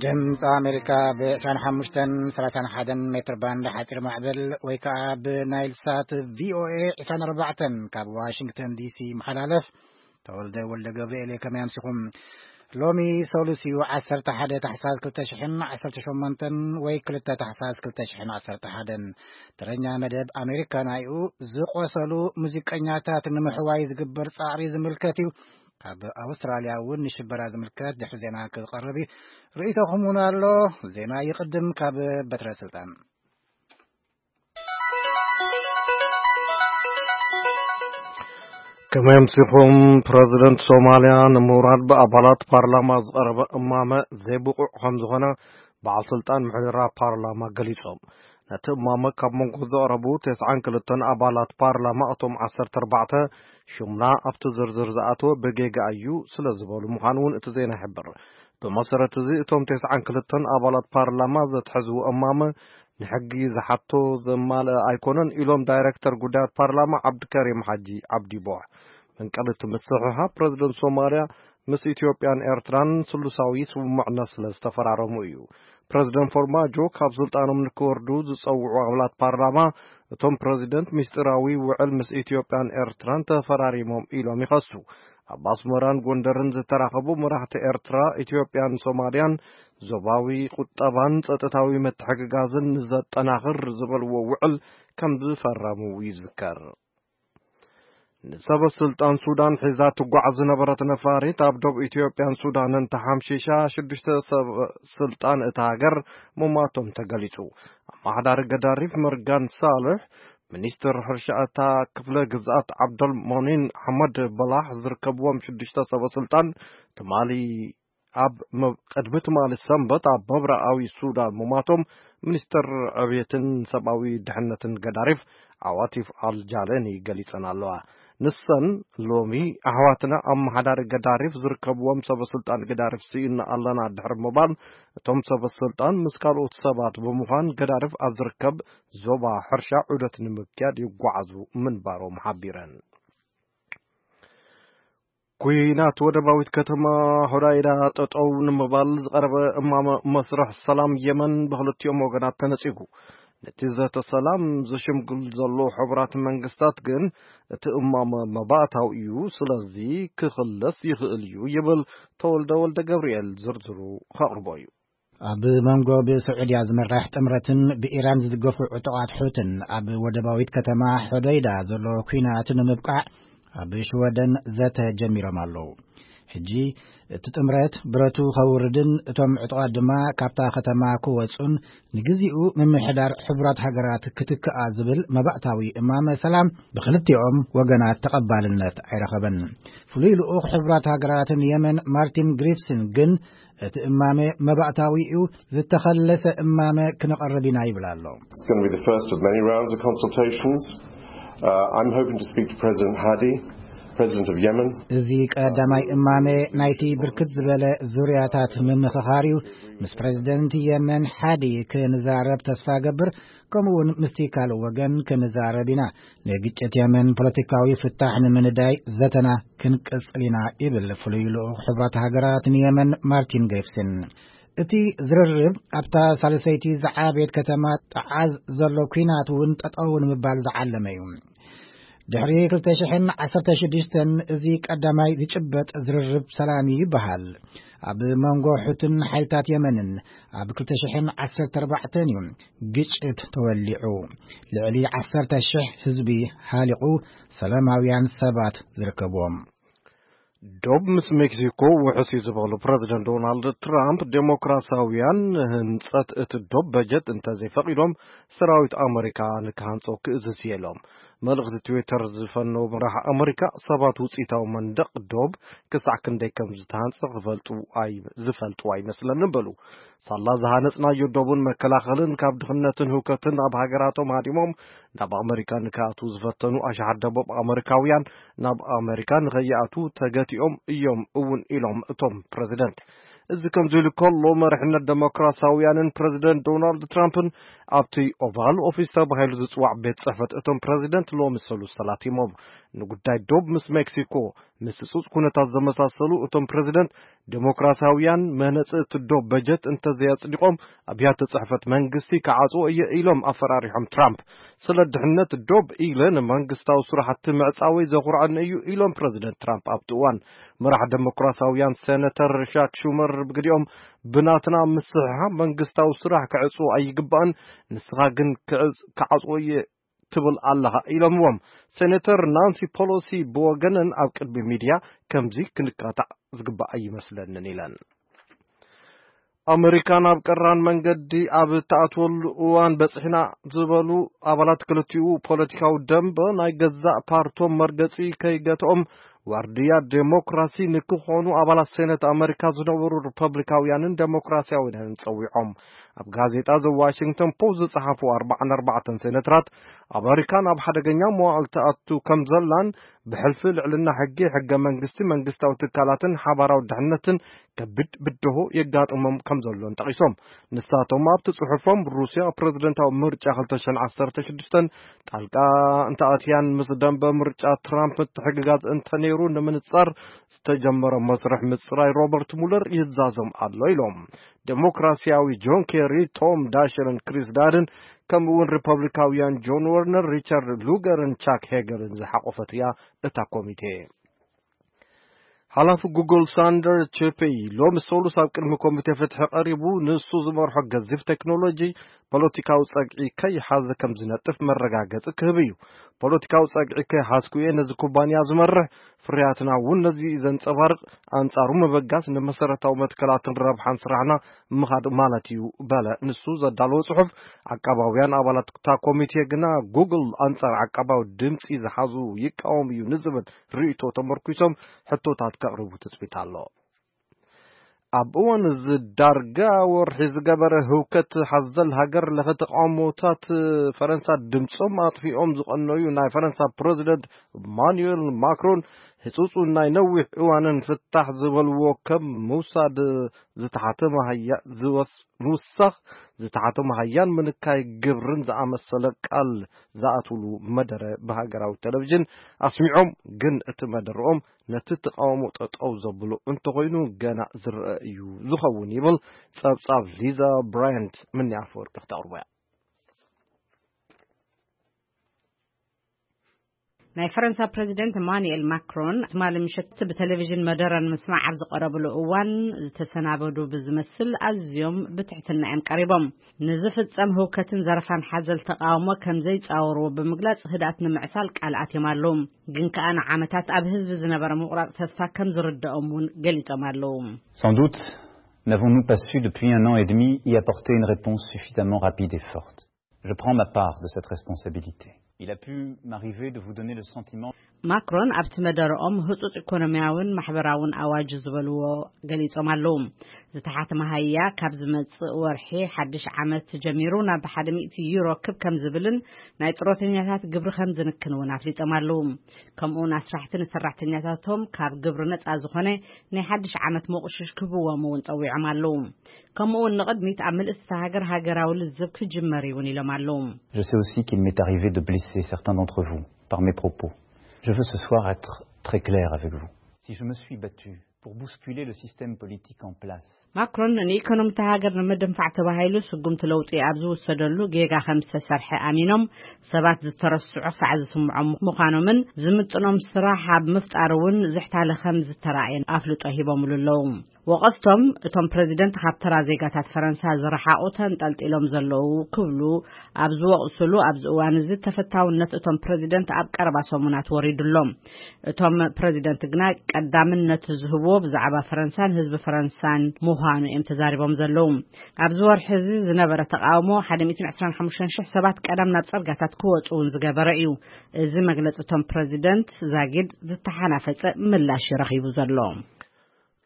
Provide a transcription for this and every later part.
ድምፂ ኣሜሪካ ብ ዕስራን ሓሙሽተን ሰላሳን ሓደን ሜትር ባንድ ሓፂር ማዕበል ወይ ከዓ ብናይል ሳት ቪኦኤ ዕስራን ኣርባዕተን ካብ ዋሽንግተን ዲሲ ይመሓላለፍ። ተወልደ ወልደ ገብርኤል እየ። ከመይ ኣምሲኹም? ሎሚ ሰሉስ እዩ፣ ዓሰርተ ሓደ ታሕሳስ ክልተ ሽሕን ዓሰርተ ሸሞንተን ወይ ክልተ ታሕሳስ ክልተ ሽሕን ዓሰርተ ሓደን። ተረኛ መደብ ኣሜሪካና እዩ። ዝቆሰሉ ሙዚቀኛታት ንምሕዋይ ዝግበር ፃዕሪ ዝምልከት እዩ። ካብ ኣውስትራልያ እውን ንሽበራ ዝምልከት ድሕሪ ዜና ክቐርብ እዩ። ርእይቶኹም እውን ኣሎ። ዜና ይቕድም ካብ በትረ ስልጣን። ከመይ ኣምሲኹም? ፕረዚደንት ሶማልያ ንምውራድ ብኣባላት ፓርላማ ዝቐረበ እማመ ዘይብቑዕ ከም ዝኾነ በዓል ስልጣን ምሕደራ ፓርላማ ገሊጾም። ነቲ እማመ ካብ መንጎ ዘቕረቡ ተስዓን ክልተን ኣባላት ፓርላማ፣ እቶም ዓሰርተ ኣርባዕተ ሽምና ኣብቲ ዝርዝር ዝኣተወ ብጌጋ እዩ ስለ ዝበሉ ምዃኑ እውን እቲ ዜና ይሕብር። ብመሰረት እዚ፣ እቶም ተስዓን ክልተን ኣባላት ፓርላማ ዘትሐዝዎ እማመ ንሕጊ ዝሓቶ ዘማልአ ኣይኮነን ኢሎም ዳይሬክተር ጉዳያት ፓርላማ ዓብድከሪም ሓጂ ዓብዲ ቦሕ። መንቀሊ እቲ ምስሕሓብ ፕረዚደንት ሶማልያ ምስ ኢትዮጵያን ኤርትራን ስሉሳዊ ስምምዕነት ስለ ዝተፈራረሙ እዩ። ፕረዚደንት ፎርማጆ ካብ ስልጣኖም ንክወርዱ ዝጸውዑ ኣባላት ፓርላማ፣ እቶም ፕረዚደንት ምስጢራዊ ውዕል ምስ ኢትዮጵያን ኤርትራን ተፈራሪሞም ኢሎም ይኸሱ። ኣብ ኣስመራን ጎንደርን ዝተራኸቡ መራሕቲ ኤርትራ፣ ኢትዮጵያን ሶማልያን ዞባዊ ቁጠባን ጸጥታዊ ምትሕግጋዝን ንዘጠናኽር ዝበልዎ ውዕል ከም ዝፈረሙ ይዝከር። ንሰበ ስልጣን ሱዳን ሒዛ ትጓዓዝ ዝነበረት ነፋሪት ኣብ ዶብ ኢትዮጵያን ሱዳንን ተሓምሺሻ፣ ሽዱሽተ ሰበ ስልጣን እታ ሃገር ምሟቶም ተገሊጹ። ኣመሓዳሪ ገዳሪፍ መርጋን ሳልሕ፣ ሚኒስትር ሕርሻ እታ ክፍለ ግዝኣት ዓብደል ሞኒን ኣሕመድ በላሕ ዝርከብዎም ሽዱሽተ ሰበ ስልጣን ትማሊ ኣብ መብ-፣ ቅድሚ ትማሊ ሰንበት ኣብ ምብራቓዊ ሱዳን ምሟቶም ሚኒስትር ዕብየትን ሰብኣዊ ድሕነትን ገዳሪፍ ዓዋቲፍ ኣልጃለኒ ገሊጸን ኣለዋ። ንሰን ሎሚ ኣሕዋትና ኣመሓዳሪ ገዳሪፍ ዝርከብዎም ሰበ ስልጣን ገዳሪፍ ስኢና ኣለና ድሕሪ ምባል፣ እቶም ሰበ ስልጣን ምስ ካልኦት ሰባት ብምዃን ገዳሪፍ ኣብ ዝርከብ ዞባ ሕርሻ ዑደት ንምክያድ ይጓዓዙ ምንባሮም ሓቢረን። ኩናት ወደባዊት ከተማ ሆዳይዳ ጠጠው ንምባል ዝቐረበ እማመ መስርሕ ሰላም የመን ብክልቲኦም ወገናት ተነጺጉ። ነቲ ዘተ ሰላም ዝሽምግል ዘሎ ሕቡራት መንግስታት ግን እቲ እማመ መባእታዊ እዩ፣ ስለዚ ክኽለስ ይኽእል እዩ ይብል ተወልደ ወልደ ገብርኤል። ዝርዝሩ ከቕርቦ እዩ። ኣብ መንጎ ብስዑድያ ዝምራሕ ጥምረትን ብኢራን ዝድገፉ ዕጡቓት ሑትን ኣብ ወደባዊት ከተማ ሖደይዳ ዘሎ ኲናት ንምብቃዕ ኣብ ሽወደን ዘተ ጀሚሮም ኣለዉ። ሕጂ እቲ ጥምረት ብረቱ ከውርድን እቶም ዕጡቓት ድማ ካብታ ከተማ ክወጹን ንግዚኡ ምምሕዳር ሕቡራት ሃገራት ክትክኣ ዝብል መባእታዊ እማመ ሰላም ብክልቲኦም ወገናት ተቐባልነት ኣይረኸበን። ፍሉይ ልኡኽ ሕቡራት ሃገራት ንየመን ማርቲን ግሪፍስን ግን እቲ እማመ መባእታዊ እዩ፣ ዝተኸለሰ እማመ ክነቐርብ ኢና ይብል ኣሎ። It's going to be the first of many rounds of consultations. Uh, I'm hoping to speak to President Hadi, President of Yemen. እዚ ቀዳማይ እማመ ናይቲ ብርክት ዝበለ ዙርያታት ምምኽኻር እዩ። ምስ ፕረዚደንት የመን ሓዲ ክንዛረብ ተስፋ ገብር፣ ከምኡውን ምስቲ ካልእ ወገን ክንዛረብ ኢና። ንግጭት የመን ፖለቲካዊ ፍታሕ ንምንዳይ ዘተና ክንቅጽል ኢና ይብል ፍሉይ ልኡኽ ሕቡራት ሃገራት ንየመን ማርቲን ግሪፍስን። እቲ ዝርርብ ኣብታ ሳልሰይቲ ዝዓበየት ከተማ ጠዓዝ ዘሎ ኲናት እውን ጠጠው ንምባል ዝዓለመ እዩ። ድሕሪ ክልተ ሽሕን ዓሰርተ ሽዱሽተን እዚ ቀዳማይ ዝጭበጥ ዝርርብ ሰላም እዩ ይበሃል። ኣብ መንጎ ሑትን ሓይልታት የመንን ኣብ ክልተ ሽሕን ዓሰርተ ኣርባዕተን እዩ ግጭት ተወሊዑ። ልዕሊ ዓሰርተ ሽሕ ህዝቢ ሃሊቑ፣ ሰላማውያን ሰባት ዝርከብዎም። ዶብ ምስ ሜክሲኮ ውሑስ እዩ ዝበሉ ፕረዚደንት ዶናልድ ትራምፕ፣ ዴሞክራሲያውያን ንህንጸት እቲ ዶብ በጀት እንተዘይፈቒዶም ሰራዊት ኣመሪካ ንክሃንጾ ክእዝዝ እየ ኢሎም። መልእኽቲ ትዊተር ዝፈነው መራሕ ኣመሪካ፣ ሰባት ውጽኢታዊ መንደቕ ዶብ ክሳዕ ክንደይ ከም ዝተሃንጸ ክፈልጡ ኣይ-፣ ዝፈልጡ ኣይመስለንን በሉ። ሳላ ዝሃነጽናዮ ዶብን መከላኸልን ካብ ድኽነትን ህውከትን ኣብ ሃገራቶም ሃዲሞም ናብ ኣመሪካ ንክኣትዉ ዝፈተኑ ኣሽሓት ደቡብ ኣመሪካውያን ናብ ኣመሪካ ንኸይኣትዉ ተገቲኦም እዮም እውን ኢሎም እቶም ፕረዚደንት። እዚ ከምዚ ኢሉ ከሎ፣ መሪሕነት ደሞክራሲያውያንን ፕረዚደንት ዶናልድ ትራምፕን ኣብቲ ኦቫል ኦፊስ ተባሂሉ ዝጽዋዕ ቤት ጽሕፈት እቶም ፕረዚደንት ሎሚ ሰሉስ ተላቲሞም። ንጉዳይ ዶብ ምስ ሜክሲኮ ምስ ጽጽ ኩነታት ዘመሳሰሉ እቶም ፕረዚደንት ዴሞክራሲያውያን መህነጺ እቲ ዶብ በጀት እንተዘየጽዲቖም ኣብያተ ጽሕፈት መንግስቲ ክዓጽዎ እየ ኢሎም ኣፈራሪሖም ትራምፕ። ስለ ድሕነት ዶብ ኢለ ንመንግስታዊ ስራሕቲ ምዕጻወይ ዘኹርዐኒ እዩ ኢሎም ፕረዚደንት ትራምፕ ኣብቲ እዋን። መራሕ ዴሞክራሲያውያን ሴነተር ሻክ ሹመር ብግዲኦም ብናትና ምስሕሓብ መንግስታዊ ስራሕ ክዕጽዎ ኣይግባእን፣ ንስኻ ግን ክዕጽ-፣ ክዓጽዎ እየ ትብል ኣለኻ ኢሎምዎም። ሴነተር ናንሲ ፖሎሲ ብወገነን ኣብ ቅድሚ ሚድያ ከምዚ ክንካታዕ ዝግባእ ኣይመስለንን ኢለን። ኣመሪካ ናብ ቀራን መንገዲ ኣብ እትኣትወሉ እዋን በጺሕና ዝበሉ ኣባላት ክልቲኡ ፖለቲካዊ ደንበ ናይ ገዛእ ፓርቶም መርገጺ ከይገትኦም ዋርድያ ዴሞክራሲ ንክኾኑ ኣባላት ሴነት ኣመሪካ ዝነበሩ ሪፐብሊካውያንን ዴሞክራሲያውያንን ጸዊዖም። ኣብ ጋዜጣ ዘ ዋሽንግተን ፖስት ዝጸሓፉ ኣርባዓን ኣርባዕተን ሴነተራት ኣመሪካ ናብ ሓደገኛ መዋዕል ትኣቱ ከም ዘላን ብሕልፊ ልዕልና ሕጊ፣ ሕገ መንግስቲ፣ መንግስታዊ ትካላትን ሓባራዊ ድሕነትን ከቢድ ብድሆ የጋጥሞም ከም ዘሎን ጠቒሶም። ንሳቶም ኣብቲ ጽሑፎም ሩስያ ፕረዚደንታዊ ምርጫ ክልተ ሽሕን ዓሰርተ ሽዱሽተን ጣልቃ እንተኣትያን ምስ ደንበ ምርጫ ትራምፕ ምትሕግጋዝ እንተነይሩ ንምንጻር ዝተጀመረ መስርሕ ምጽራይ ሮበርት ሙለር ይዛዞም ኣሎ ኢሎም። ዴሞክራሲያዊ ጆን ኬሪ፣ ቶም ዳሸርን ክሪስ ዳድን ከምኡ እውን ሪፐብሊካውያን ጆን ወርነር፣ ሪቻርድ ሉገርን ቻክ ሄገልን ዝሓቆፈት እያ እታ ኮሚቴ። ሓላፊ ጉግል ሳንደር ቼፔይ ሎሚ ሰሉስ ኣብ ቅድሚ ኮሚቴ ፍትሒ ቀሪቡ ንሱ ዝመርሖ ገዚፍ ቴክኖሎጂ ፖለቲካዊ ጸግዒ ከይሓዘ ከም ዝነጥፍ መረጋገጺ ክህብ እዩ። ፖለቲካዊ ጸግዒ ከይሓዝኩ እየ ነዚ ኩባንያ ዝመርሕ፣ ፍርያትና እውን ነዚ እዩ ዘንጸባርቕ፣ ኣንጻሩ ምብጋስ ንመሰረታዊ መትከላትን ረብሓን ስራሕና ምኻድ ማለት እዩ በለ። ንሱ ዘዳለዎ ጽሑፍ ዓቃባውያን ኣባላት እታ ኮሚቴ ግና ጉግል ኣንጻር ዓቃባዊ ድምጺ ዝሓዙ ይቃወም እዩ ንዝብል ርእይቶ ተመርኩሶም ሕቶታት ከቕርቡ ትጽቢት ኣሎ። ኣብ እዋን እዚ ዳርጋ ወርሒ ዝገበረ ህውከት ሓዘል ሃገር ለኸ ተቃውሞታት ፈረንሳ ድምጾም ኣጥፊኦም ዝቐነዩ ናይ ፈረንሳ ፕረዚደንት ማኑኤል ማክሮን ህጹጹን ናይ ነዊሕ እዋንን ፍታሕ ዝበልዎ ከም ምውሳድ ዝተሓተ መሃያ-፣ ዝወስ-፣ ምውሳኽ ዝተሓተ መሃያን ምንካይ ግብርን ዝኣመሰለ ቃል ዝኣትውሉ መደረ ብሃገራዊ ቴሌቪዥን ኣስሚዖም። ግን እቲ መደረኦም ነቲ ተቃውሞ ጠጠው ዘብሎ እንተኾይኑ ገና ዝረአ እዩ ዝኸውን ይብል ጸብጻብ ሊዛ ብራያንት። ምኒ ኣፈወርቂ ክተቕርቦ እያ። ናይ ፈረንሳ ፕረዚደንት ኢማኑኤል ማክሮን ትማሊ ምሸት ብቴሌቪዥን መደረ ንምስማዕ ኣብ ዝቐረብሉ እዋን ዝተሰናበዱ ብዝመስል ኣዝዮም ብትሕትና እዮም ቀሪቦም። ንዝፍጸም ህውከትን ዘረፋን ሓዘል ተቃውሞ ከም ዘይጻወርዎ ብምግላጽ ህድኣት ንምዕሳል ቃል ኣትዮም ኣለዉ። ግን ከኣ ንዓመታት ኣብ ህዝቢ ዝነበረ ምቑራጽ ተስፋ ከም ዝርድኦም እውን ገሊጾም ኣለዉ። Sans doute, n'avons-nous pas su depuis un an et demi y apporter une réponse suffisamment rapide et forte ? Je prends ma part de cette responsabilité. Il a pu m'arriver de vous donner le sentiment. ማክሮን ኣብቲ መደረኦም ህጹጽ ኢኮኖሚያውን ማሕበራውን ኣዋጅ ዝበልዎ ገሊጾም ኣለዉ። ዝተሓተ መሃያ ካብ ዝመጽእ ወርሒ ሓድሽ ዓመት ጀሚሩ ናብ ሓደ ሚእቲ ዩሮ ክብ ከም ዝብልን ናይ ጥሮተኛታት ግብሪ ከም ዝንክን እውን ኣፍሊጦም ኣለዉ። ከምኡውን ኣስራሕቲ ንሰራሕተኛታቶም ካብ ግብሪ ነጻ ዝኾነ ናይ ሓድሽ ዓመት መቑሽሽ ክህብዎም እውን ጸዊዖም ኣለዉ። ከምኡውን ንቕድሚት ኣብ ምልእቲ እታ ሃገር ሃገራዊ ልዝብ ክጅመር እውን ኢሎም ኣለዉ። Je sais aussi qu'il m'est arrivé de blesser certains d'entre vous par mes propos. Je veux ce soir être très clair avec vous. Si je me suis battu pour bousculer le système politique en place, ማክሮን ንኢኮኖሚ እታ ሃገር ንምድንፋዕ ተባሂሉ ስጉምቲ ለውጢ ኣብ ዝውሰደሉ ጌጋ ከም ዝተሰርሐ ኣሚኖም ሰባት ዝተረስዑ ክሳዕ ዝስምዖም ምዃኖምን ዝምጥኖም ስራሕ ኣብ ምፍጣር እውን ዝሕታለ ከም ዝተራእየን ኣፍልጦ ሂቦምሉ ኣለዉ። ወቐስቶም እቶም ፕረዚደንት ካብ ተራ ዜጋታት ፈረንሳ ዝረሓቑ ተንጠልጢሎም ዘለዉ ክብሉ ኣብ ዝወቕስሉ ኣብዚ እዋን እዚ ተፈታውነት እቶም ፕረዚደንት ኣብ ቀረባ ሰሙናት ወሪዱ ኣሎ። እቶም ፕረዚደንት ግና ቀዳምነት ዝህብዎ ብዛዕባ ፈረንሳን ህዝቢ ፈረንሳን ምዃኑ እዮም ተዛሪቦም ዘለዉ። ኣብዚ ወርሒ እዚ ዝነበረ ተቃውሞ ሓደ ሚእትን ዕስራን ሓሙሽተን ሽሕ ሰባት ቀዳም ናብ ጽርጋታት ክወጹ እውን ዝገበረ እዩ። እዚ መግለጺ እቶም ፕረዚደንት ዛጊድ ዝተሓናፈጸ ምላሽ እዩ ረኺቡ ዘሎ።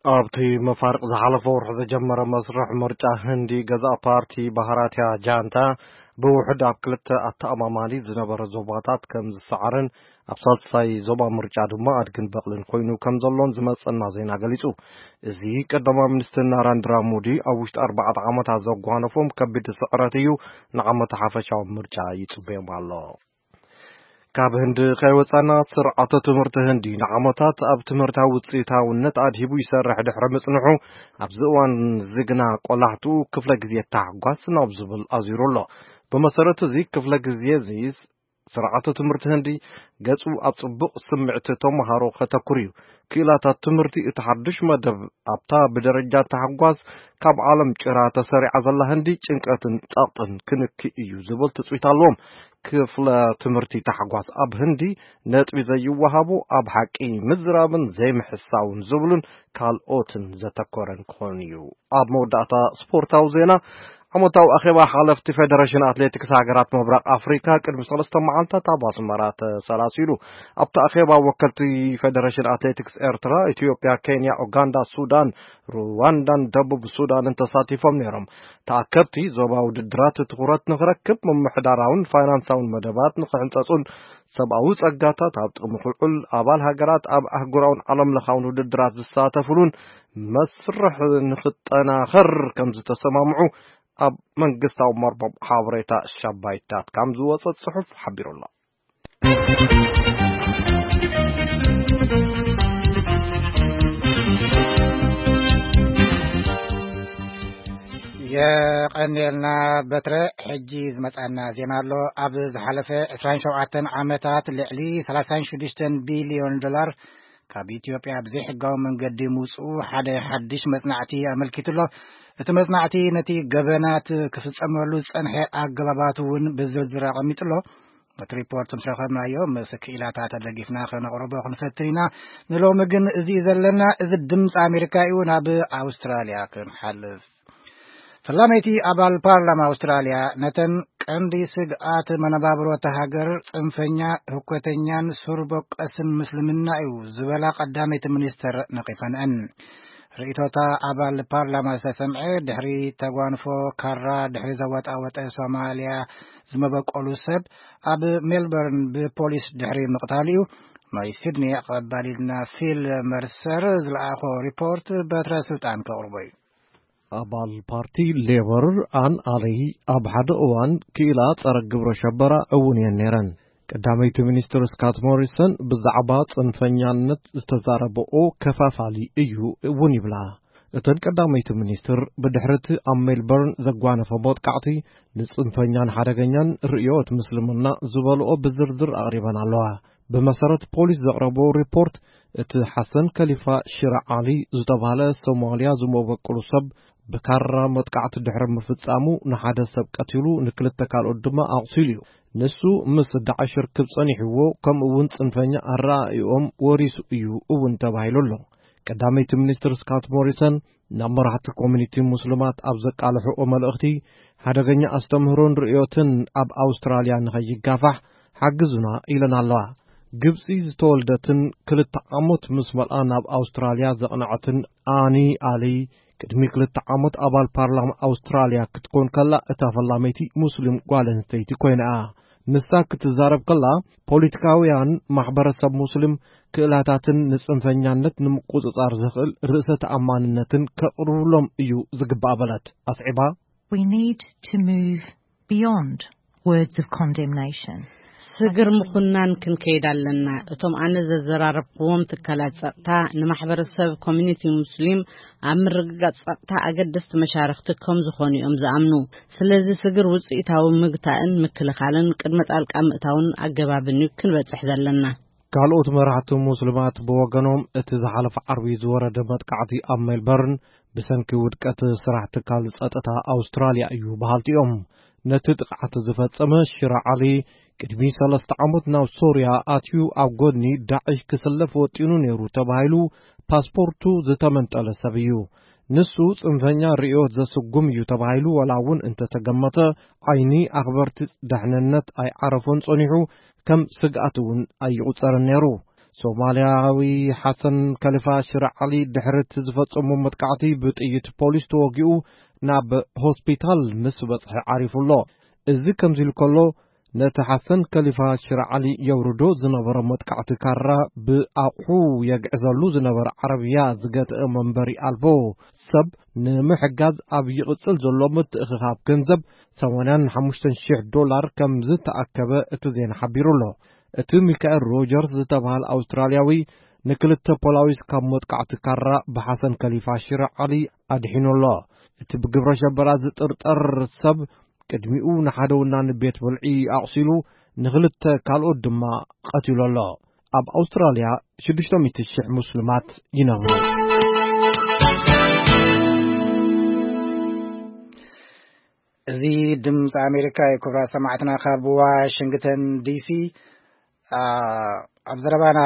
ኣብቲ መፋርቕ ዝሓለፈ ወርሒ ዝጀመረ መስርሕ ምርጫ ህንዲ፣ ገዛእ ፓርቲ ባህራቲያ ጃንታ ብውሑድ ኣብ ክልተ ኣተኣማማኒ ዝነበረ ዞባታት ከም ዝሰዓርን ኣብ ሳልሳይ ዞባ ምርጫ ድማ ኣድግን በቕልን ኮይኑ ከም ዘሎን ዝመጸና ዜና ገሊጹ። እዚ ቀዳማይ ሚኒስትር ናራንድራ ሞዲ ኣብ ውሽጢ ኣርባዕተ ዓመታት ዘጓነፎም ከቢድ ስዕረት እዩ። ንዓመት ሓፈሻዊ ምርጫ ይጽበዮም ኣሎ። ካብ ህንዲ ከይወጻና፣ ስርዓተ ትምህርቲ ህንዲ ንዓመታት ኣብ ትምህርታዊ ውጽኢታውነት ኣድሂቡ ይሰርሕ ድሕሪ ምጽንሑ፣ ኣብዚ እዋን እዚ ግና ቆላሕትኡ ክፍለ ግዜ ታሕጓስ ናብ ዝብል ኣዚሩ ኣሎ። ብመሰረት እዚ ክፍለ ግዜ እዚ፣ ስርዓተ ትምህርቲ ህንዲ ገጹ ኣብ ጽቡቕ ስምዕቲ ተመሃሮ ከተኩር እዩ። ክኢላታት ትምህርቲ እቲ ሓድሽ መደብ ኣብታ ብደረጃ ታሕጓስ ካብ ዓለም ጭራ ተሰሪዓ ዘላ ህንዲ ጭንቀትን ጸቕጥን ክንኪ እዩ ዝብል ትጽቢት ኣለዎም። ክፍለ ትምህርቲ ታሕጓስ ኣብ ህንዲ ነጥቢ ዘይወሃቦ፣ ኣብ ሓቂ ምዝራብን ዘይምሕሳውን ዝብሉን ካልኦትን ዘተኮረን ክኾን እዩ። ኣብ መወዳእታ ስፖርታዊ ዜና፣ ዓመታዊ ኣኼባ ሓለፍቲ ፌደሬሽን ኣትሌቲክስ ሃገራት ምብራቕ ኣፍሪካ ቅድሚ ሰለስተ መዓልታት ኣብ ኣስመራ ተሰላሲሉ። ኣብቲ ኣኼባ ወከልቲ ፌደሬሽን ኣትሌቲክስ ኤርትራ፣ ኢትዮጵያ፣ ኬንያ፣ ኡጋንዳ፣ ሱዳን፣ ሩዋንዳን ደቡብ ሱዳንን ተሳቲፎም ነይሮም። ተኣከብቲ ዞባ ውድድራት ትኹረት ንኽረክብ፣ ምምሕዳራውን ፋይናንሳውን መደባት ንኽሕንጸጹን ሰብኣዊ ጸጋታት ኣብ ጥቕሚ ክውዕል፣ ኣባል ሃገራት ኣብ ኣህጉራውን ዓለም ለኻውን ውድድራት ዝሳተፉሉን መስርሕ ንኽጠናኸር ከም ዝተሰማምዑ ኣብ መንግስታዊ መርበብ ሓበሬታ ሻባይታት ከም ዝወጸ ጽሑፍ ሓቢሩ ኣሎ። የቐንየልና በትረ። ሕጂ ዝመጻና ዜና ኣሎ። ኣብ ዝሓለፈ ዕስራን ሸውዓተን ዓመታት ልዕሊ ሰላሳን ሽዱሽተን ቢልዮን ዶላር ካብ ኢትዮጵያ ብዘይሕጋዊ መንገዲ ምውጽኡ ሓደ ሓድሽ መጽናዕቲ ኣመልኪቱ ኣሎ። እቲ መጽናዕቲ ነቲ ገበናት ክፍጸመሉ ዝጸንሐ ኣገባባት እውን ብዝርዝር ኣቐሚጡ ኣሎ። እቲ ሪፖርት ምስ ረኸብናዮ፣ ምስ ክኢላታት ተደጊፍና ከነቕርቦ ክንፈትን ኢና። ንሎሚ ግን እዚ እዩ ዘለና። እዚ ድምፂ ኣሜሪካ እዩ። ናብ ኣውስትራልያ ክንሓልፍ። ፈላመይቲ ኣባል ፓርላማ ኣውስትራልያ፣ ነተን ቀንዲ ስግኣት መነባብሮ እታ ሃገር ጽንፈኛ፣ ህኮተኛን ሱር በቀስን ምስልምና እዩ ዝበላ ቀዳመይቲ ሚኒስተር ነቒፈንአን። ርእይቶታ ኣባል ፓርላማ ዝተሰምዐ ድሕሪ ተጓንፎ ካራ ድሕሪ ዘወጣወጠ ሶማልያ ዝመበቆሉ ሰብ ኣብ ሜልበርን ብፖሊስ ድሕሪ ምቕታሉ እዩ። ናይ ሲድኒ ኣቐባሊልና ፊል መርሰር ዝለኣኾ ሪፖርት በትረ ስልጣን ከቕርቦ እዩ። ኣባል ፓርቲ ሌበር ኣን ኣለይ ኣብ ሓደ እዋን ክኢላ ጸረ ግብረ ሸበራ እውን እየን ነይረን። ቀዳመይቲ ሚኒስትር ስካት ሞሪሰን ብዛዕባ ጽንፈኛነት ዝተዛረበኦ ከፋፋሊ እዩ እውን ይብላ። እተን ቀዳመይቲ ሚኒስትር ብድሕርቲ ኣብ ሜልበርን ዘጓነፈ መጥቃዕቲ ንጽንፈኛን ሓደገኛን ርእዮት ምስልምና ዝበልኦ ብዝርዝር ኣቕሪበን ኣለዋ። ብመሰረት ፖሊስ ዘቕረቦ ሪፖርት፣ እቲ ሓሰን ከሊፋ ሽረ ዓሊ ዝተባህለ ሶማልያ ዝመበቅሉ ሰብ ብካራ መጥቃዕቲ ድሕሪ ምፍጻሙ ንሓደ ሰብ ቀቲሉ ንክልተ ካልኦት ድማ ኣቑሲሉ እዩ። ንሱ ምስ ዳዕሽ ርክብ ጸኒሕዎ፣ ከምኡ እውን ጽንፈኛ ኣረኣእይኦም ወሪሱ እዩ እውን ተባሂሉ ኣሎ። ቀዳመይቲ ሚኒስትር ስካት ሞሪሰን ናብ መራሕቲ ኮሚኒቲ ሙስሊማት ኣብ ዘቃልሕኦ መልእኽቲ፣ ሓደገኛ ኣስተምህሮን ርእዮትን ኣብ ኣውስትራልያ ንኸይጋፋሕ ሓግዙና ኢለን ኣለዋ። ግብጺ ዝተወልደትን ክልተ ዓመት ምስ መልኣ ናብ ኣውስትራልያ ዘቕነዐትን ኣኒ ኣሊ፣ ቅድሚ ክልተ ዓመት ኣባል ፓርላማ ኣውስትራልያ ክትኮን ከላ፣ እታ ፈላመይቲ ሙስሊም ጓል ኣንስተይቲ ኮይና እያ። ንሳ ክትዛረብ ከላ፣ ፖለቲካውያን ማሕበረሰብ ሙስሊም ክእላታትን ንጽንፈኛነት ንምቁጽጻር ዘኽእል ርእሰ ተኣማንነትን ከቕርብሎም እዩ ዝግባእ በለት። ኣስዒባ፣ We need to move beyond words of condemnation. ስግር ምኹናን ክንከይድ ኣለና። እቶም ኣነ ዘዘራረብክዎም ትካላት ጸጥታ ንማሕበረሰብ ኮሚኒቲ ሙስሊም ኣብ ምርግጋጽ ጸጥታ ኣገደስቲ መሻርኽቲ ከም ዝኾኑ እዮም ዝኣምኑ። ስለዚ ስግር ውጽኢታዊ ምግታእን ምክልኻልን ቅድመ ጣልቃ ምእታውን ኣገባብን እዩ ክንበጽሕ ዘለና። ካልኦት መራሕቲ ሙስሊማት ብወገኖም፣ እቲ ዝሓለፈ ዓርቢ ዝወረደ መጥቃዕቲ ኣብ ሜልበርን ብሰንኪ ውድቀት ስራሕ ትካል ጸጥታ ኣውስትራልያ እዩ በሃልቲ እዮም። ነቲ ጥቕዓት ዝፈጸመ ሽራ ዓሊ፣ ቅድሚ ሰለስተ ዓመት ናብ ሶርያ ኣትዩ ኣብ ጎድኒ ዳዕሽ ክስለፍ ወጢኑ ነይሩ ተባሂሉ ፓስፖርቱ ዝተመንጠለ ሰብ እዩ። ንሱ ጽንፈኛ ርእዮት ዘስጉም እዩ ተባሂሉ ዋላ እውን እንተተገመተ፣ ዓይኒ ኣኽበርቲ ደሕንነት ኣይዓረፎን ጸኒሑ፣ ከም ስግኣት እውን ኣይቑጸርን ነይሩ። ሶማልያዊ ሓሰን ከሊፋ ሽረ ዓሊ ድሕሪ እቲ ዝፈጸሞ መጥቃዕቲ ብጥይት ፖሊስ ተወጊኡ ናብ ሆስፒታል ምስ በጽሐ ዓሪፉ ኣሎ። እዚ ከምዚ ኢሉ ከሎ፣ ነቲ ሓሰን ከሊፋ ሽር ዓሊ የውርዶ ዝነበረ መጥቃዕቲ ካራ ብኣቑሑ የግዕዘሉ ዝነበረ ዓረብያ ዝገትአ መንበሪ ኣልቦ ሰብ ንምሕጋዝ ኣብ ይቕጽል ዘሎ ምትእኽኻብ ገንዘብ ሰማንያን ሓሙሽተን ሽሕ ዶላር ከም ዝተኣከበ እቲ ዜና ሓቢሩ ኣሎ። እቲ ሚካኤል ሮጀርስ ዝተባህለ ኣውስትራልያዊ ንክልተ ፖላዊስ ካብ መጥቃዕቲ ካራ ብሓሰን ከሊፋ ሽር ዓሊ ኣድሒኑ ኣሎ። እቲ ብግብረ ሸበራ ዝጥርጠር ሰብ ቅድሚኡ ንሓደ ወናኒ ቤት ብልዒ ኣቑሲሉ፣ ንኽልተ ካልኦት ድማ ቀቲሉ ኣሎ። ኣብ ኣውስትራልያ ሽዱሽተ ሚእቲ ሽሕ ሙስሊማት ይነብሩ። እዚ ድምፂ ኣሜሪካ እዩ። ክቡራት ሰማዕትና ካብ ዋሽንግተን ዲሲ፣ ኣ፣ ኣብ ዘረባና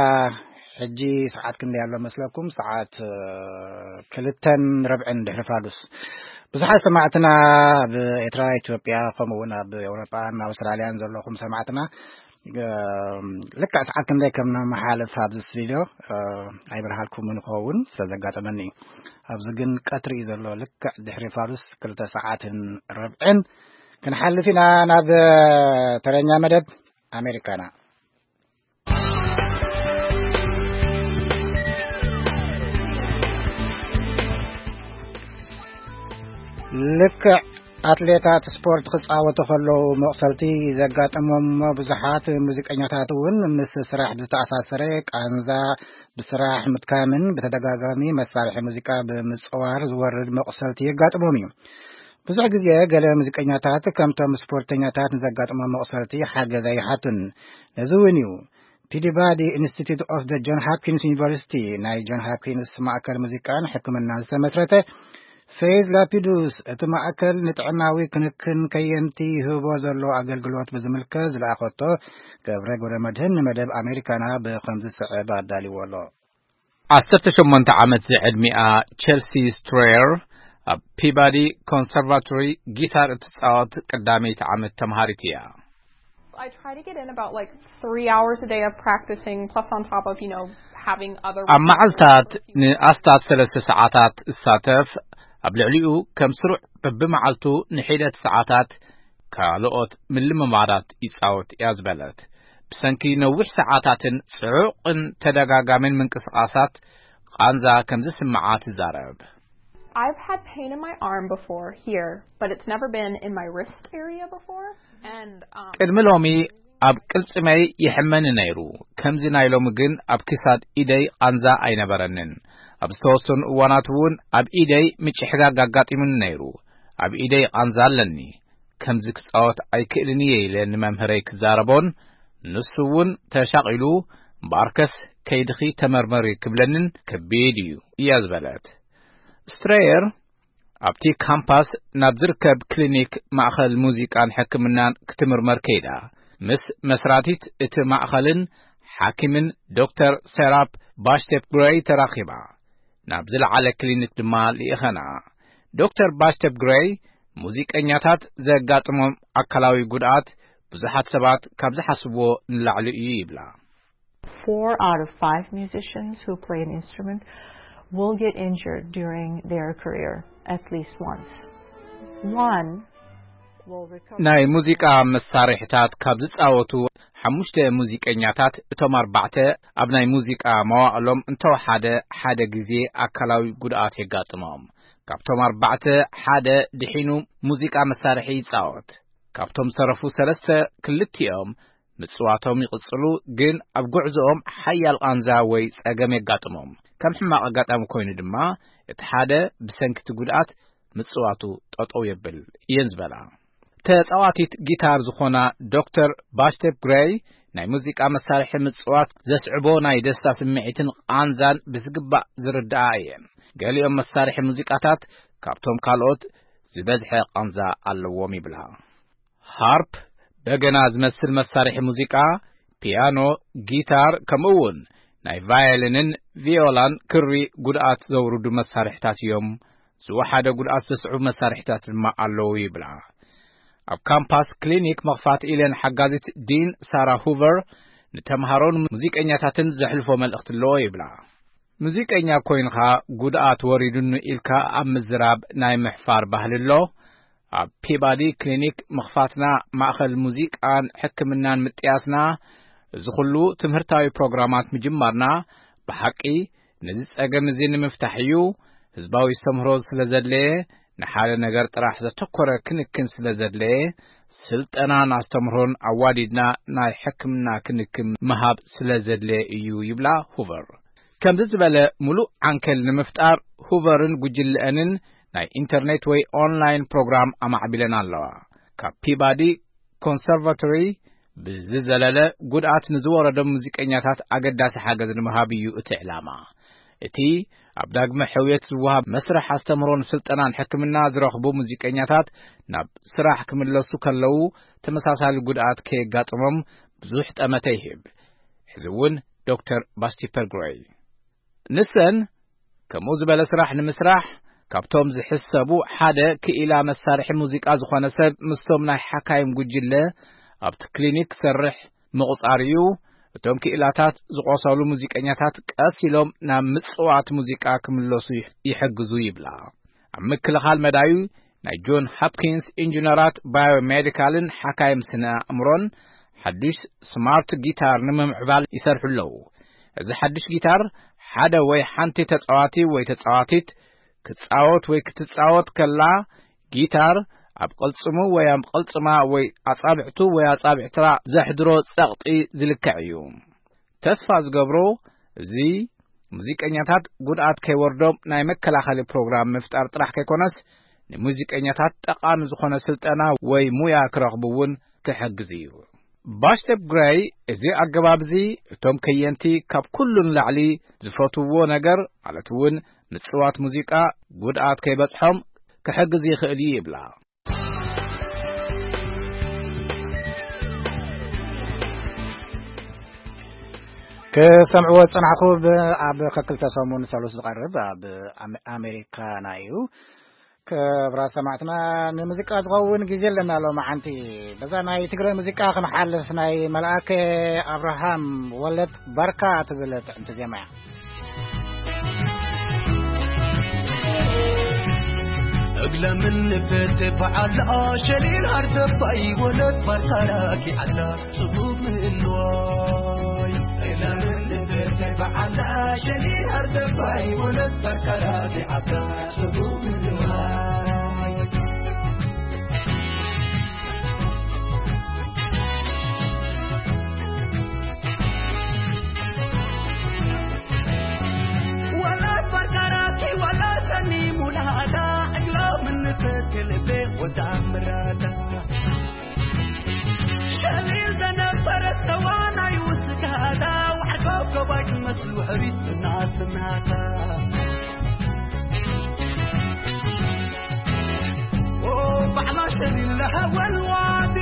ሕጂ ሰዓት ክንደይ ኣሎ መስለኩም? ሰዓት፣ እ፣ ክልተን ረብዕን ድሕሪ ፋዱስ። ብዙሓት ሰማዕትና ኣብ ኤርትራ፣ ኢትዮጵያ፣ ከምኡ እውን ኣብ ኤውሮጳን ኣውስትራልያን ዘለኹም ሰማዕትና፣ እ፣ ልክዕ ሰዓት ክንደይ ከም ንመሓልፍ ኣብዚ ስቱዲዮ፣ እ፣ ኣይበርሃልኩምን ይኸውን ስለ ዘጋጠመኒ እዩ። ኣብዚ ግን ቀትሪ እዩ ዘሎ። ልክዕ ድሕሪ ፋዱስ ክልተ ሰዓትን ረብዕን ክንሓልፍ ኢና ናብ ተረኛ መደብ ኣሜሪካና። ልክዕ ኣትሌታት ስፖርት ክጻወቱ ከለዉ መቑሰልቲ ዘጋጥሞም እሞ፣ ብዙሓት ሙዚቀኛታት እውን ምስ ስራሕ ብዝተኣሳሰረ ቃንዛ፣ ብስራሕ ምድካምን ብተደጋጋሚ መሳርሒ ሙዚቃ ብምጽዋር ዝወርድ መቑሰልቲ የጋጥሞም እዩ። ብዙሕ ግዜ ገለ ሙዚቀኛታት ከምቶም ስፖርተኛታት ንዘጋጥሞም መቑሰልቲ ሓገዝ ኣይሓቱን። ነዚ እውን እዩ ፒዲባዲ ኢንስቲትዩት ኦፍ ደ ጆን ሃፕኪንስ ዩኒቨርሲቲ፣ ናይ ጆን ሃፕኪንስ ማእከል ሙዚቃን ሕክምናን ዝተመስረተ ፌዝ ላፒዱስ፣ እቲ ማእከል ንጥዕናዊ ክንክን ከየንቲ ይህቦ ዘሎ ኣገልግሎት ብዝምልከት ዝለኣኸቶ ገብረ ገብረ መድህን ንመደብ ኣሜሪካና ብኸምዚ ዝስዕብ ኣዳልዎ ኣሎ። ዓሰርተ ሸሞንተ ዓመት ዝዕድሚኣ ቸልሲ ስትሬየር ኣብ ፒባዲ ኮንሰርቫቶሪ ጊታር እትጻወት ቀዳመይቲ ዓመት ተምሃሪት እያ። I try to get in about, like, three hours a day of practicing, plus on top of, you know, having other ኣብ መዓልታት ንኣስታት ሰለስተ ሰዓታት እሳተፍ፣ ኣብ ልዕሊኡ ከም ስሩዕ በብመዓልቱ ንሒደት ሰዓታት ካልኦት ምልምማዳት ይጻወት እያ ዝበለት። ብሰንኪ ነዊሕ ሰዓታትን ጽዑቕን ተደጋጋምን ምንቅስቓሳት ቃንዛ ከም ዝስምዓ ትዛረብ። I've had pain in my arm before here, but it's never been in my wrist area before. And, um, ቅድሚ ሎሚ ኣብ ቅልጽመይ ይሕመኒ ነይሩ። ከምዚ ናይ ሎሚ ግን ኣብ ክሳድ ኢደይ ቃንዛ ኣይነበረንን። ኣብ ዝተወሰኑ እዋናት እውን ኣብ ኢደይ ምጭሕጋግ ኣጋጢሙኒ ነይሩ። ኣብ ኢደይ ቃንዛ ኣለኒ። ከምዚ ክጻወት ኣይክእልን እየ ኢለ ንመምህረይ ክዛረቦን፣ ንሱ እውን ተሻቒሉ፣ "እምበኣርከስ ከይድኺ ተመርመሪ" ክብለንን ከቢድ እዩ እያ ዝበለት። ስትሬየር ኣብቲ ካምፓስ ናብ ዝርከብ ክሊኒክ ማእኸል ሙዚቃን ሕክምናን ክትምርመር ከይዳ፣ ምስ መስራቲት እቲ ማእኸልን ሓኪምን ዶክተር ሴራፕ ባሽቴፕ ግሬይ ተራኺባ። ናብ ዝለዓለ ክሊኒክ ድማ ልኢኸና። ዶክተር ባሽቴፕ ግሬይ፣ ሙዚቀኛታት ዘጋጥሞም ኣካላዊ ጉድኣት ብዙሓት ሰባት ካብ ዝሓስብዎ ንላዕሊ እዩ ይብላ። Four out of five musicians who play an instrument will get injured during their career at least once. One will recover. ናይ ሙዚቃ መሳርሒታት ካብ ዝጻወቱ ሓሙሽተ ሙዚቀኛታት፣ እቶም ኣርባዕተ ኣብ ናይ ሙዚቃ መዋእሎም እንተወሓደ ሓደ ግዜ ኣካላዊ ጉድኣት የጋጥሞም። ካብቶም ኣርባዕተ ሓደ ድሒኑ ሙዚቃ መሳርሒ ይጻወት። ካብቶም ዝተረፉ ሰለስተ ክልቲኦም ምጽዋቶም ይቕጽሉ፣ ግን ኣብ ጉዕዞኦም ሓያል ቃንዛ ወይ ጸገም የጋጥሞም። ከም ሕማቕ ኣጋጣሚ ኮይኑ ድማ፣ እቲ ሓደ ብሰንኪ እቲ ጉድኣት ምጽዋቱ ጠጠው የብል እየን ዝበላ። ተጻዋቲት ጊታር ዝኾና ዶክተር ባሽቴፕ ግሬይ፣ ናይ ሙዚቃ መሳርሒ ምጽዋት ዘስዕቦ ናይ ደስታ ስምዒትን ቃንዛን ብዝግባእ ዝርድኣ እየን። ገሊኦም መሳርሒ ሙዚቃታት ካብቶም ካልኦት ዝበዝሐ ቃንዛ ኣለዎም ይብላ። ሃርፕ፣ በገና ዝመስል መሳርሒ ሙዚቃ፣ ፒያኖ፣ ጊታር፣ ከምኡ እውን ናይ ቫዮሊንን ቪዮላን ክሪ ጉድኣት ዘውርዱ መሳርሒታት እዮም። ዝወሓደ ጉድኣት ዘስዕቡ መሳርሒታት ድማ ኣለዉ ይብላ። ኣብ ካምፓስ ክሊኒክ መኽፋት ኢለን ሓጋዚት ዲን ሳራ ሁቨር ንተምሃሮን ሙዚቀኛታትን ዘሕልፎ መልእኽቲ ኣለዎ ይብላ። ሙዚቀኛ ኮይንኻ ጉድኣት ወሪዱኒ ኢልካ ኣብ ምዝራብ ናይ ምሕፋር ባህሊ ኣሎ። ኣብ ፒባዲ ክሊኒክ ምኽፋትና፣ ማእኸል ሙዚቃን ሕክምናን ምጥያስና፣ እዚ ኹሉ ትምህርታዊ ፕሮግራማት ምጅማርና፣ ብሓቂ ነዚ ጸገም እዚ ንምፍታሕ እዩ። ህዝባዊ ኣስተምህሮ ስለ ዘድለየ፣ ንሓደ ነገር ጥራሕ ዘተኮረ ክንክን ስለ ዘድለየ፣ ስልጠናን ኣስተምህሮን ኣዋዲድና ናይ ሕክምና ክንክን ምሃብ ስለ ዘድለየ እዩ ይብላ ሁቨር። ከምዚ ዝበለ ምሉእ ዓንከል ንምፍጣር፣ ሁቨርን ጉጅለአንን ናይ ኢንተርኔት ወይ ኦንላይን ፕሮግራም ኣማዕቢለን ኣለዋ። ካብ ፒባዲ ኮንሰርቫቶሪ ብዝዘለለ፣ ጉድኣት ንዝወረዶም ሙዚቀኛታት ኣገዳሲ ሓገዝ ንምሃብ እዩ እቲ ዕላማ። እቲ ኣብ ዳግመ ሕውየት ዝወሃብ መስርሕ ኣስተምህሮን ስልጠናን ሕክምና ዝረኽቡ ሙዚቀኛታት፣ ናብ ስራሕ ክምለሱ ከለዉ ተመሳሳሊ ጉድኣት ከየጋጥሞም ብዙሕ ጠመተ ይህብ። ሕዚ እውን ዶክተር ባስቲ ፐርግሮይ። ንሰን ከምኡ ዝበለ ስራሕ ንምስራሕ ካብቶም ዝሕሰቡ ሓደ ክኢላ መሳርሒ ሙዚቃ ዝኾነ ሰብ ምስቶም ናይ ሓካይም ጉጅለ ኣብቲ ክሊኒክ ክሰርሕ ምቑጻር እዩ። እቶም ክኢላታት ዝቖሰሉ ሙዚቀኛታት ቀስ ኢሎም ናብ ምጽዋት ሙዚቃ ክምለሱ ይሕ-፣ ይሕግዙ ይብላ። ኣብ ምክልኻል መዳዩ ናይ ጆን ሆፕኪንስ ኢንጂነራት ባዮሜዲካልን ሓካይም ስነ ኣእምሮን ሓድሽ ስማርት ጊታር ንምምዕባል ይሰርሑ ኣለዉ። እዚ ሓድሽ ጊታር ሓደ ወይ ሓንቲ ተጻዋቲ ወይ ተጻዋቲት ክጻወት ወይ ክትጻወት ከላ፣ ጊታር ኣብ ቅልጽሙ ወይ ኣብ ቅልጽማ ወይ ኣጻብዕቱ ወይ ኣጻብዕትራ ዘሕድሮ ጸቕጢ ዝልክዕ እዩ። ተስፋ ዝገብሮ፣ እዚ ሙዚቀኛታት ጉድኣት ከይወርዶም ናይ መከላኸሊ ፕሮግራም ምፍጣር ጥራሕ ከይኮነስ፣ ንሙዚቀኛታት ጠቓሚ ዝኾነ ስልጠና ወይ ሙያ ክረኽቡ እውን ክሕግዝ እዩ። ባሽተፕ ግረይ፣ እዚ ኣገባብ እዚ እቶም ከየንቲ ካብ ኩሉ ንላዕሊ ዝፈትውዎ ነገር፣ ማለት እውን ምጽዋት ሙዚቃ፣ ጉድኣት ከይበጽሖም ክሕግዝ ይኽእል እዩ ይብላ። ክሰምዕዎ ዝጸናሕኩ ብ-፣ ኣብ ከክልተ ሰሙን ሰሉስ ዝቐርብ ኣብ ኣመ-፣ ኣሜሪካና እዩ። ክብራት ሰማዕትና፣ ንሙዚቃ ዝኸውን ግዜ ኣለና ሎማዓንቲ። በዛ ናይ ትግራይ ሙዚቃ ክንሓልፍ፣ ናይ መልኣከ ኣብርሃም ወለድ ባርካ ትብል ጥዕምቲ ዜማ እያ። እግለ ምን ንፈተ በዓል ሸሊል ሃርደባይ ወለድ ባርካ ራኪ ዓላ ጽቡብ ምእልዋይ። እግለ ምን ንፈተ በዓል ሸሊል ሃርደባይ ወለድ ባርካ ራኪ ዓላ ጽቡብ ምእልዋይ። ወላ ባርካራኪ ወላ ሰኒ ሙላዳ ዕግሎ ምንተክልቤ ወዳ ምራዳ ሸሊል ዘነበረ ሰዋናይ ውስጋዳ ዋዕቆ ገባይ ክመስሉ ሕሪት እናስናታ ኦ ባዕላ ሸሊል ለሃወልዋዲ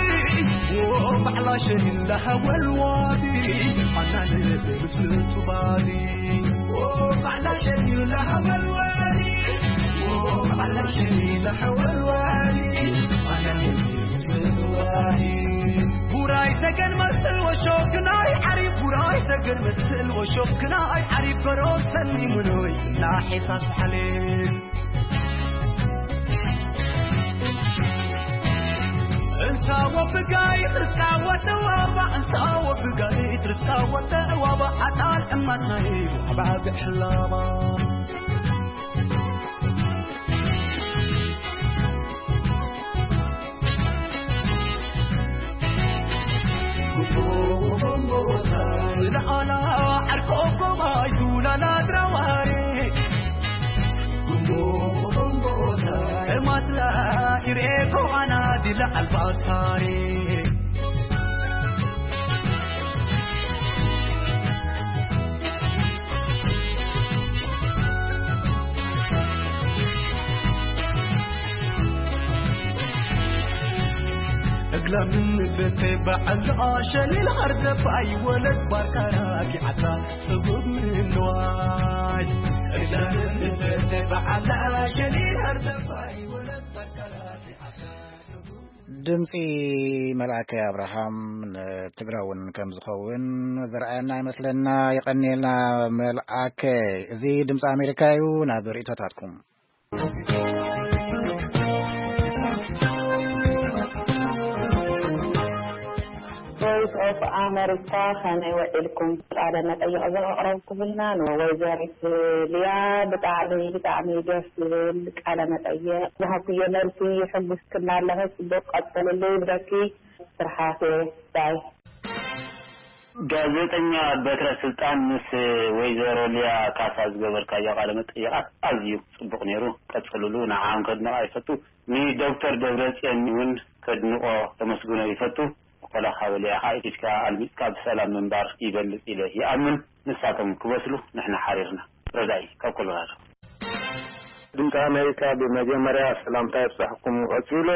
ኦ ባዕላ ሸሊል ለሃወልዋዲ ኣናለ ምስሉ ቱባዲ ኦ ባዕላ ሸሊል ለሃወልዋዲ ኦ ባዕላ ሸሊል ለሃወልዋዲ ኣናለ ምስሉ ቱባዲ ቡራይ ሰገን መስል ወሾክናይ ዓሪብ ቡራይ ሰገን መስል ወሾክናይ ዓሪብ በሮ ሰኒ ምኖይ እና ሒሳስ ሓሌ እንሳ ወብጋይ ርስቃ ወተዋባ እንሳ ወብጋይ ርስቃ ወተዋባ ኣጣል እማትናይ ዋባ ብሕላባ ዝለዓላ ዓርኮ ጎባይ ዙላላ ድራዋሬ እማትላ ኢሬ ኮዋና ዲላ ኣልባሳሬ እግላ ምን ንፈተ በዓል ሸሊል ሃርደባይ ወለድ ባርካ ራኪዓታ ጽቡብ ምንዋይ እግላ ምን ንፈተ በዓል ሸሊል ሃርደባይ ወለድ ባርካ ራኪዓታ ጽቡብ ድምጺ መልኣከ ኣብርሃም ንትግራውን ከም ዝኸውን ዝረኣየና ይመስለና። የቐንየልና መልኣከ። እዚ ድምጺ ኣሜሪካ እዩ። ናብ ርእይቶታትኩም። Voice of America፣ ከመይ ውዒልኩም? ቃለ መጠይቕ ዘቕረብኩምልና ንወይዘሪት ሊያ ብጣዕሚ፣ ብጣዕሚ ደስ ዝብል ቃለ መጠይቕ ዝሃብኩዮ መልሲ የሐጉስክና ኣለኺ። ጽቡቕ ቀጽልሉ ይብለኪ። ስርሓቴ ባይ። ጋዜጠኛ በትረ ስልጣን ምስ ወይዘሮ ሊያ ካሳ ዝገበርካዮ ቃለ መጠይቓት ኣዝዩ ጽቡቕ ነይሩ። ቀጽልሉ፣ ንዓም ከድንቓ ይፈቱ። ንዶክተር ደብረጽዮን እውን ከድንቖ ከመስግኖ ይፈቱ። ቆላኻ በሊዕኻ ኢድካ ኣልሚጽካ ብሰላም ምንባር ይበልጽ ኢለ ይኣምን። ንሳቶም ክበስሉ ንሕና ሓሪርና። ረዳኢ ካብ ኮሎራዶ። ድምፂ ኣሜሪካ፣ ብመጀመርያ ሰላምታ ይብፃሕኩም። ቀፂሉ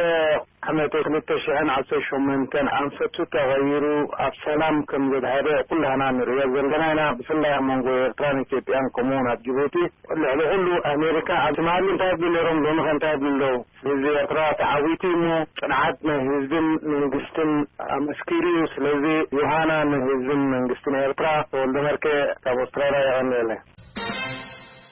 ዓመተ ክልተ ሽሕን ዓሰርተ ሸሞንተን ኣንፈቱ ተቐይሩ ኣብ ሰላም ከም ዘድሃበ ኩላህና ንሪኦ ዘለና ኢና። ብፍላይ ኣብ መንጎ ኤርትራን ኢትዮጵያን ከምኡውን ኣብ ጅቡቲ። ልዕሊ ኩሉ ኣሜሪካ ኣብ ትማሊ እንታይ ይብሉ ነይሮም፣ ሎሚ ኸ እንታይ ይብሉ ኣለዉ? ህዝቢ ኤርትራ ተዓዊቱ እሞ ጽንዓት ናይ ህዝብን መንግስትን ኣመስኪሩ እዩ። ስለዚ ዮሃና ንህዝብን መንግስትን ኤርትራ። ተወልደ መርኬ ካብ ኣውስትራልያ የቐንየለይ።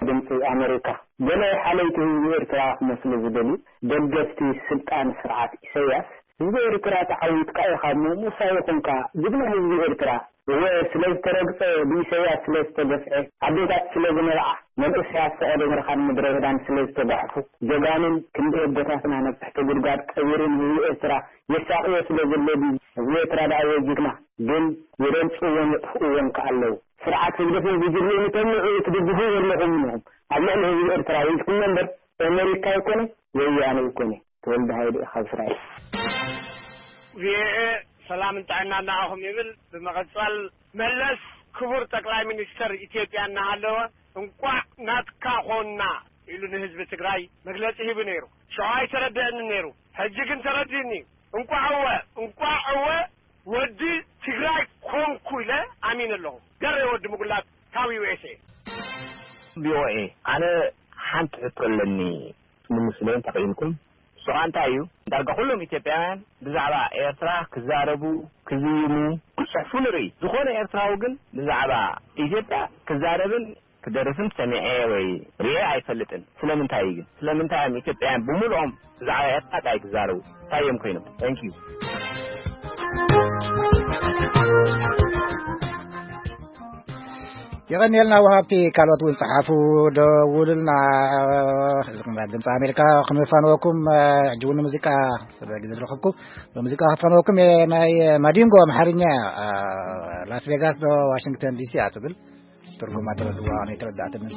ድምፂ ኣሜሪካ። ገለ ሓለይቲ ህዝቢ ኤርትራ ክመስሉ ዝደልዩ ደገፍቲ ስልጣን ስርዓት ኢሳያስ፣ ህዝቢ ኤርትራ ተዓዊትካ ኢኻ እሞ ምሳይ ይኹንካ፣ ጅግና ህዝቢ ኤርትራ። እወ፣ ስለ ዝተረግጸ፣ ብኢሳያስ ስለ ዝተገፍዐ፣ ኣዴታት ስለ ዝነብዓ፣ መንእሰያት ፈቐዶ በረኻን ምድረ በዳን ስለ ዝተጓሕፉ፣ ጀጋኑን ክንደይ ኣቦታትና ነብሕቲ ጉድጓድ ቀቢሩ ንህዝቢ ኤርትራ የሳቕዮ ስለ ዘሎ ድዩ? ህዝቢ ኤርትራ ደኣ ወይ ጅግና፣ ግን የደንጽዎን የጥፍእዎን ከኣ ኣለዉ። ስርዓት ህግደፍን ጉጅለኡን ተምዑ ትድግፉ ዘለኹም ኢኹም። ኣብ ልዕሊ ህዝቢ ኤርትራ ወይትኩም እምበር፣ ኣመሪካ ኣይኮነ፣ ወያነ ኣይኮነ። ተወልደ ሃይለ ካብ እስራኤል። ቪኦኤ ሰላምን ጥዕናን ንዓኹም ይብል። ብምቕጻል መለስ ክቡር ጠቅላይ ሚኒስተር ኢትዮጵያ እናሃለወ እንቋዕ ናትካ ኾንና ኢሉ ንህዝቢ ትግራይ መግለጺ ሂቡ ነይሩ። ሽዑ ኣይተረድአንን ነይሩ። ሕጂ ግን ተረዲእኒ። እንቋዕ እወ፣ እንቋዕ እወ ወዲ ትግራይ ኮንኩ ኢለ ኣሚነ ኣለኹ። ገሬ ወዲ ምጉላት ካብ ዩ ኤስ ኤ። ቪ ኦ ኤ፣ ኣነ ሓንቲ ሕቶ ኣለኒ። ንምስለዮም ተኽኢልኩም። ንሱ ኸኣ እንታይ እዩ? ዳርጋ ኩሎም ኢትዮጵያውያን ብዛዕባ ኤርትራ ክዛረቡ፣ ክዝይሙ፣ ክጽሕፉ ንርኢ። ዝኾነ ኤርትራዊ ግን ብዛዕባ ኢትዮጵያ ክዛረብን ክደርፍን ሰሚዐ ወይ ርእየ ኣይፈልጥን። ስለምንታይ እዩ ግን? ስለምንታይ እዮም ኢትዮጵያውያን ብምልኦም ብዛዕባ ኤርትራ ጥራይ ክዛረቡ? እንታይ እዮም ኮይኖም? Thank you። የቐንየልና ወሃብቲ። ካልኦት እውን ጸሓፉ፣ ደውሉልና። እዚ ኹም ድምፂ ኣሜሪካ ክንፋንወኩም፣ ሕጂ እውን ሙዚቃ ስለ ግዜ ዝረኸብኩ፣ ሙዚቃ ክፋንወኩም እየ። ናይ ማዲንጎ ኣምሓርኛ፣ ላስ ቬጋስ ዶ ዋሽንግተን ዲ ሲ እያ ትብል። ትርጉማ ተረድዋ፣ ኣነ ኣይተረዳእትንን።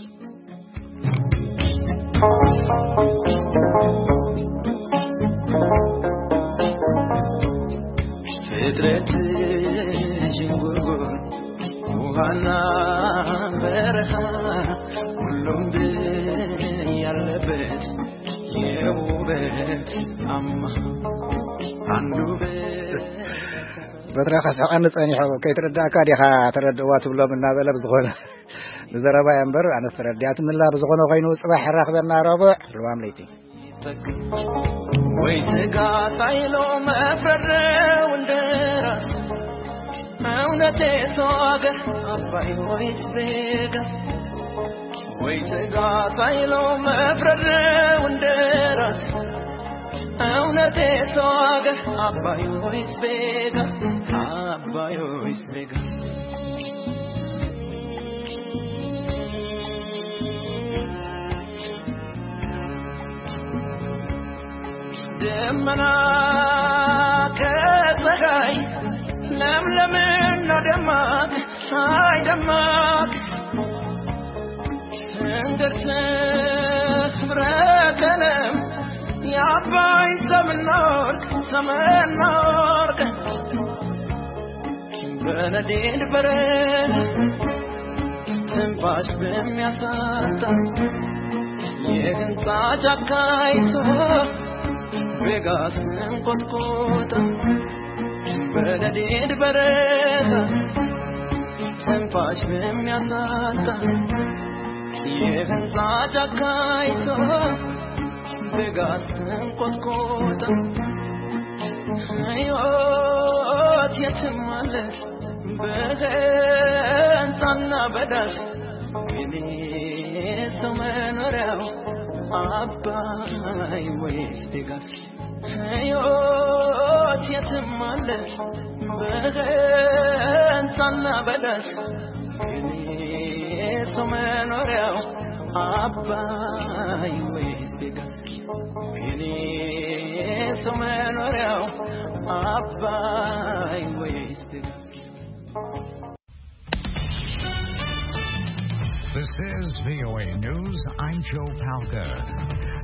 ፍጥረት ዥንጉርጉር፣ ውሃና በረሃ፣ ሁሉም ድል ያለበት የውበት አማ፣ አንዱ ውበት። በትረ ከስሕቐኒ ጸኒሑ፣ ከይትረዳእካ ዲኻ ተረድእዋ ትብሎም እናበለ፣ ብዝኾነ ንዘረባ እያ እምበር ኣነስ ተረዲኣትኒ ኣላ። ብዝኾነ ኮይኑ ጽባሕ ራኽበና ረቡዕ ልዋም ለይቲ። ወይ ስጋ ሳይሎ መፍረድ እንደራስ፣ እውነቴ ሰው አገር አባይ ወይስ ቤጋ? ወይ ስጋ ሳይሎ መፍረድ እንደራስ፣ እውነቴ ሰው አገር አባይ ወይስ ቤጋ? አባይ ወይስ ቤጋ? ደመና ከፀሐይ፣ ለምለምና ደማቅ፣ ፀሐይ ደማቅ፣ ትንግርት ህብረ ቀለም፣ የአባይ ሰምና ወርቅ፣ ሰምና ወርቅ። በነዴድ በረድ ትንፋሽ በሚያሳጣ፣ የህንፃ ጫካ አይቶ ቬጋስን ቆጥቆጠ። በነዴድ በረድ ትንፋሽ በሚያሳጣ፣ የህንፃ ጫካ አይቶ ቬጋስን ቆጥቆጠ። ህይወት የትም አለ በህንፃና በዳስ፣ ግን ሰው መኖሪያው አባይ ወይስ ቬጋስ? ሕይወት የትም አለ በገንታና በለስ። የኔ ሰው መኖሪያው አባይ ወይስ ቬጋስ? የኔ ሰው መኖሪያው አባይ ወይስ ቬጋስ? This is V O A News. I'm Joe Palca.